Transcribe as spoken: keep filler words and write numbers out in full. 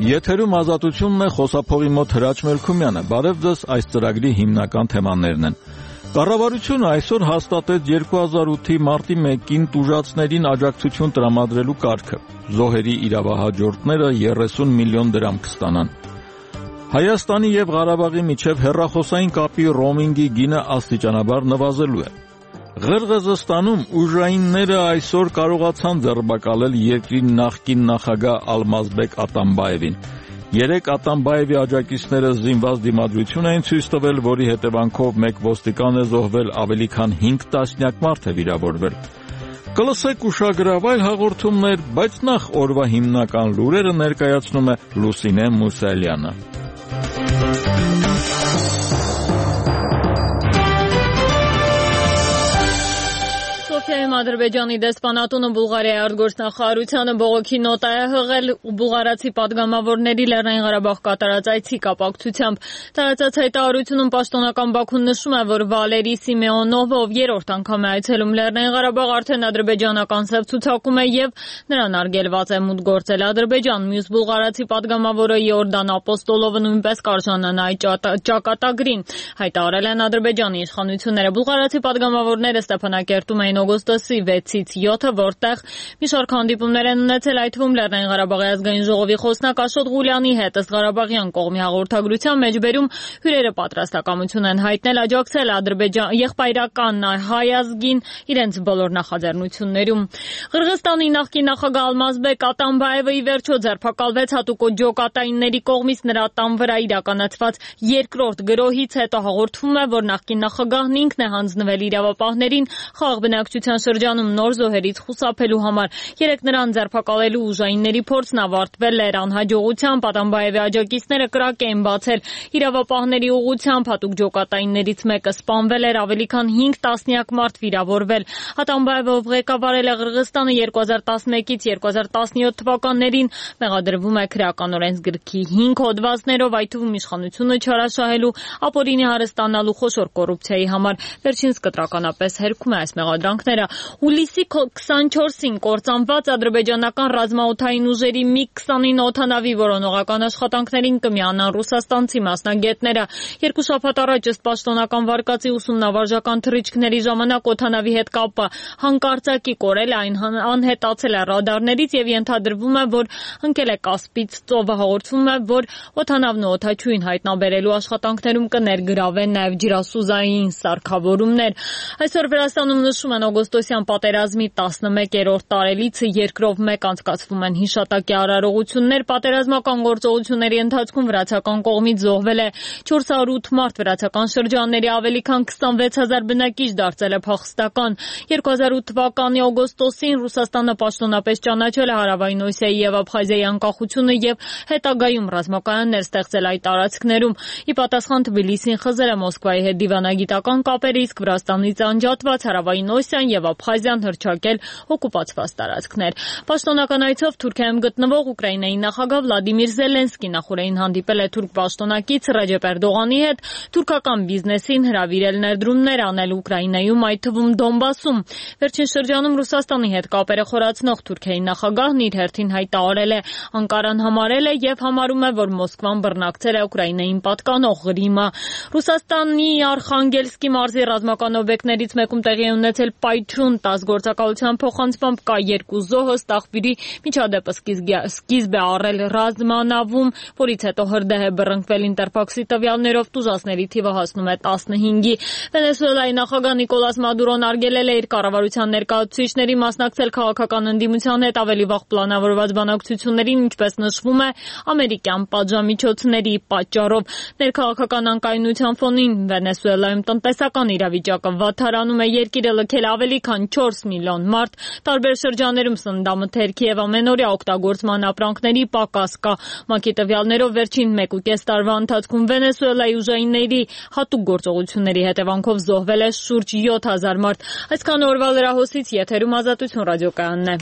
Եթերում ազատությունն է, խոսափողի մոտ Հրաչ Մելքումյանը։ Բարև ձեզ, այս ծրագրի հիմնական թեմաներն են։ Կառավարությունը այսօր հաստատեց երկու հազար ութի մարտի մեկին տուժածներին աջակցություն տրամադրելու կարգը։ Զոհերի իրավահաջորդները երեսուն միլիոն դրամ կստանան։ Հայաստանի եւ Ղարաբաղի միջև հեռախոսային կապի ռոմինգի գինը աստիճանաբար նվազելու է։ Ղրղըզստանում ուժայինները այսօր կարողացան ձերբակալել երկրի նախկին նախագահ Ալմազբեկ Ատամբաևին։ Երեք Ատամբաևի աջակիցները զինված դիմադրություն էին ցույց տվել, որի հետևանքով մեկ ոստիկան է զոհվել, ավելի քան հինգ տասնյակ մարդ է վիրավորվել։ Կլսեք ուշագրավ այլ հաղորդումներ, բայց նախ օրվա հիմնական լուրերը ներկայացնում է Լուսինե Մուսալյանը։ Սոֆիայում Ադրբեջանի դեսպանատունը Բուլղարիայի արտգործնախարարությանը բողոքի նոտ է հղել բուլղարացի պատգամավորների Լեռնային Ղարաբաղ կատարած այցի կապակցությամբ։ Տարածած հայտարարությունում պաշտոնական Բաքուն նշում է, որ Վալերի Սիմեոնովը, ով երրորդ անգամ է այցելում Լեռնային Ղարաբաղ, արդեն ադրբեջանական սև ցուցակում է եւ նրան արգելված է մուտք գործել Ադրբեջան։ Մյուս բուլղարացի պատգամավորը Իորդան Ապոստոլովը նույնպես կարժանանա այդ ճակատագրին, հայտարարել են Ադրբեջանի իշխանությունները։ Բուլղարացի պատգամավորները Ստեփանակերտում էին օգոստոսի վեցից յոթը, որտեղ մի շարք հանդիպումներ են ունեցել, այդ թվում Լեռնային Ղարաբաղի ազգային ժողովի խոսնակ Աշոտ Ղուլյանի հետ, ըստ Ղարաբաղյան կողմի հաղորդագրության մեջբերում հյուրերը պատրաստակամություն են հայտնել աջակցել Ադրբեջան եղբայրական հայ ազգին իրենց բոլոր նախաձեռնություններում։ Ղրղըզստանի նախկին նախագահ Ալմազբեկ Ատամբաևը ի վերջո ձերբակալվեց հատուկ ջոկատայինների կողմից նրա տան վրա իրականացված երկրորդ գրոհից հետո հաղորդվում է, որ նախկին նախագահն ինքն է հանձնվել իրավապահներին խաղաղ բնակչության շրջանում նոր զոհերից խուսափելու համար։ Երեք նրան ձերբակալելու ուժայինների փորձն ավարտվել էր անհաջողությամբ։ Ատամբաևի աջակիցները կրակ էին բացել իրավապահների ուղղությամբ, հատուկ ջոկատայիններից մեկը սպանվել էր, ավելի քան հինգ տասնյակ մարդ վիրավորվել։ Ատամբաևը, ով ղեկավարել է Ղրղըզստանը երկու հազար տասնմեկից երկու հազար տասնյոթ թվականներին, մեղադրվում է քրեական օրենսգրքի հինգ հոդվածներով, այդ թվում իշխանությունը չարաշահելու, ապօրինի հարստանալու, խոշոր կոռուպցիայի համար։ Վերջինս կտրականապես հերքում է այս մեղադրանքները։ Հուլիսի քսանչորսին կործանված ադրբեջանական ռազմաօդային ուժերի միգ քսանինը օդանավի որոնողական աշխատանքներին կմիանան ռուսաստանցի մասնագետները։ Երկու շաբաթ առաջ ըստ պաշտոնական վարկածի ուսումնավարժական թռիչքների ժամանակ օդանավի հետ կապը հանկարծակի կորել, այն անհետացել է ռադարներից եւ ենթադրվում է, որ ընկել է Կասպից ծովը։ Հաղորդվում է, որ օդանավն ու օդաչուին հայտնաբերելու աշխատանքներում կներգրավեն նաեւ ջրասուզային սարքավորումներ։ Այսօր Վրաստանում նշում են օգոստոսյան պատերազմի տասնմեկերորդ տարելիցը, երկրով մեկ անցկացվում են հիշատակի արարողություններ։ Պատերազմական գործողությունների ընթացքում վրացական կողմից զոհվել է չորս հարյուր ութ մարդ, վրացական շրջանների ավելի քան քսանվեց հազար բնակիչ դարձել է փախստական։ երկու հազար ութ թվականի օգոստոսին Ռուսաստանը պաշտոնապես ճանաչել է Հարավային Օսիայի եւ Աբխազիայի անկախությունը եւ հետագայում ռազմակայաններ ստեղծել այդ տարածքներում։ Ի պատասխան Թբիլիսին խզել է Մոսկվայի հետ դիվանագիտական կապեր, իսկ Վրաստանից անջատված Հարավային Օսիան եւ Աբխազիան հռչակել օկուպացված տարածքներ։ Պաշտոնական այցով Թուրքիայում գտնվող Ուկրաինայի նախագահ Վլադիմիր Զելենսկին նախորդին հանդիպել է թուրք պաշտոնակից Ռեջեփ Էրդողանի հետ, թուրքական բիզնեսին հրավիրել ներդրումներ անել Ուկրաինայում, այդ թվում Դոնբասում։ Վերջին շրջանում Ռուսաստանի հետ կապերը խորացնող Թուրքիայի նախագահն իր հերթին հայտարարել է, Անկարան համարել է եւ համարում է, որ Մոսկվան բռնակցել է Ուկրաինային պատկանող Ղրիմը։ Ռուսաստանի Արխանգելսկի մարզի ռազմական օբյեկտներից մեկում տեղի է ունեցել պայթյուն, տաս գործակալության փոխանցմամբ կա երկու զոհ, ըստ աղբյուրի միջադեպը սկիզբ է առել ռազմանավում, որից հետո հրդեհ է բռնկվել Ինտերփաքսի տվյալներով, տուժածների թիվը հասնում է տասնհինգի։ Վենեսուելայի նախագահ Նիկոլաս Մադուրոն արգելել է իր կառավարության ներկայացուցիչների մասնակցել քաղաքական ընդդիմության հետ ավելի վաղ պլանավորված բանակցություններին, ինչպես նշվում է, ամերիկյան պատժամիջոցների պատճառով։ Ներքաղաքական անկայունության ֆոնին Վենեսուելայում տնտեսական իրավիճակը վատթարանում է, երկիրը լքել ավելի քան չորս միլիոն մարդ, տարբեր շրջաններում սննդամթերքի եւ ամենօրյա օգտագործման ապրանքների պակաս կա։ ՄԱԿ-ի տվյալներով վերջին մեկ ու կես տարվա ընթացքում Վենեսուելայի ուժայինների հատուկ գործողությունների հետևանքով զոհվել է շուրջ յոթ հազար մարդ։ Այսքան օրվա լրահոսից եթերում Ազատություն ռադիոկայանն է։